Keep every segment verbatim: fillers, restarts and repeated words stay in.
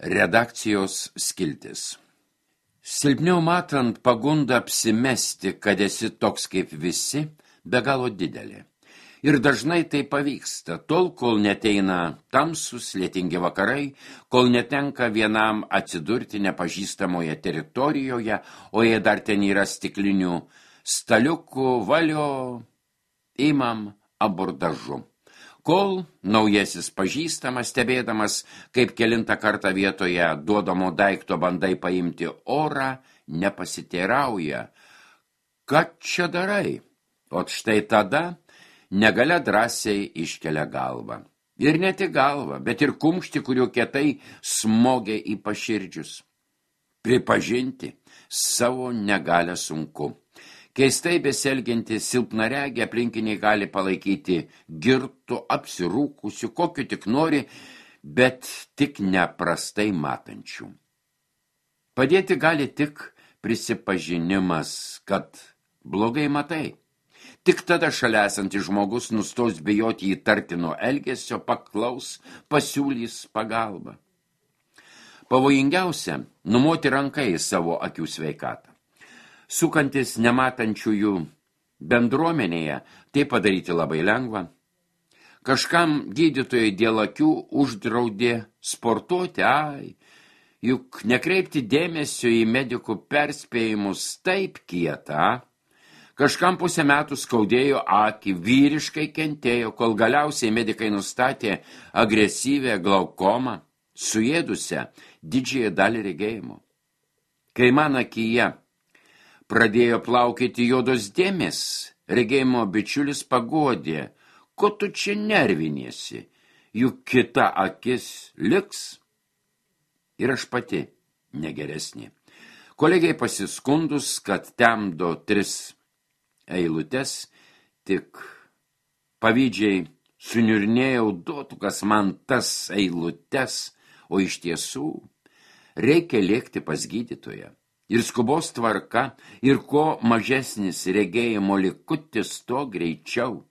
Redakcijos skiltis. Silpniau matant pagunda apsimesti, kad esi toks kaip visi, be galo didelė. Ir dažnai tai pavyksta, tol, kol neteina tamsus, lietingi vakarai, kol netenka vienam atsidurti nepažįstamoje teritorijoje, o jei dar ten yra stiklinių staliukų, valio, imam abordažu. Kol naujasis pažįstamas, stebėdamas, kaip kelintą kartą vietoje duodamo daikto bandai paimti orą, nepasiteirauja. Ką čia darai? O štai tada negalia drąsiai iškelia galvą. Ir ne tik galvą, bet ir kumštį, kuriuo kietai smogia į paširdžius. Pripažinti savo negalę sunku. Keistai besielgianti silpnaregė aplinkiniai gali palaikyti girtų, apsirūkusių, kokiu tik nori, bet tik neprastai matančių. Padėti gali tik prisipažinimas, kad blogai matai. Tik tada šalia esantis žmogus nustos bijoti įtartino elgesio, paklaus, pasiūlys pagalbą. Pavojingiausia – numoti ranką į savo akių sveikatą. Sukantis nematančiųjų bendruomenėje, tai padaryti labai lengva. Kažkam gydytojai dėl akių uždraudė sportuoti, ai, juk nekreipti dėmesio į medikų perspėjimus taip kieta. Kažkam pusę metų skaudėjo akį, vyriškai kentėjo, kol galiausiai medikai nustatė agresyvę glaukomą, suėdusią didžiąją dalį regėjimo. Kai man akyje pradėjo plaukėti juodos dėmės, regėjimo bičiulis pagodė, ko tu čia nerviniesi, juk kita akis liks. Ir aš pati negeresnė. Kolegiai pasiskundus, kad temdo tris eilutes, tik pavydžiai suniurnėjau, duotų kas man tas eilutes, o iš tiesų reikia lėkti pas gydytoją. Ir skubos tvarka, ir ko mažesnis regėjimo likutis, to greičiau.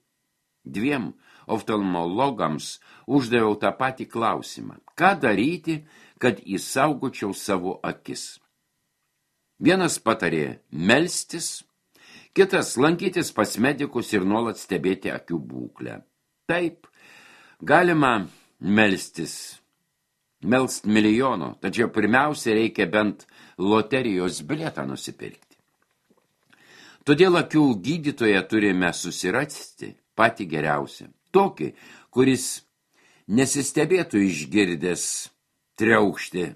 Dviem oftalmologams uždaviau tą patį klausimą. Ką daryti, kad įsaugočiau savo akis? Vienas patarė melstis, kitas lankytis pas medikus ir nuolat stebėti akių būklę. Taip, galima melstis. Melst milijono, tačiau pirmiausia reikia bent loterijos bilietą nusipirkti. Todėl akių gydytoje turime susirasti patį geriausią. Tokį, kuris nesistebėtų išgirdęs triaukštį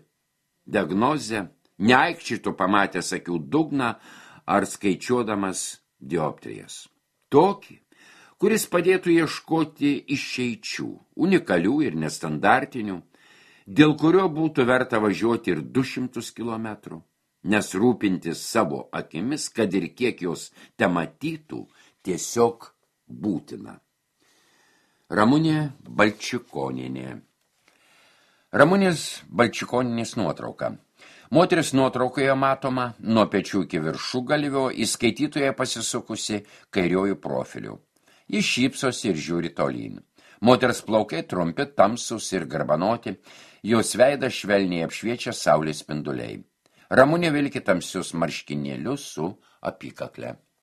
diagnozę, neaikščitų pamatęs akių dugną ar skaičiuodamas dioptrijas. Tokį, kuris padėtų ieškoti išeičių, unikalių ir nestandartinių, dėl kurio būtų verta važiuoti ir du šimtus kilometrų, nes rūpintis savo akimis, kad ir kiek jos tematytų, tiesiog būtina. Ramunė Balčikonienė. Ramunės Balčikonienės nuotrauka. Moteris nuotraukoje matoma nuo pečių iki viršugalvio, įskaitytoje pasisukusi kairiojų profilių. Jis šypsosi ir žiūri tolyn. Moters plaukai trumpi, tamsus ir garbanoti, jos veidą švelniai apšviečia saulės spinduliai. Ramunė vilki tamsius marškinėlius su apykakle.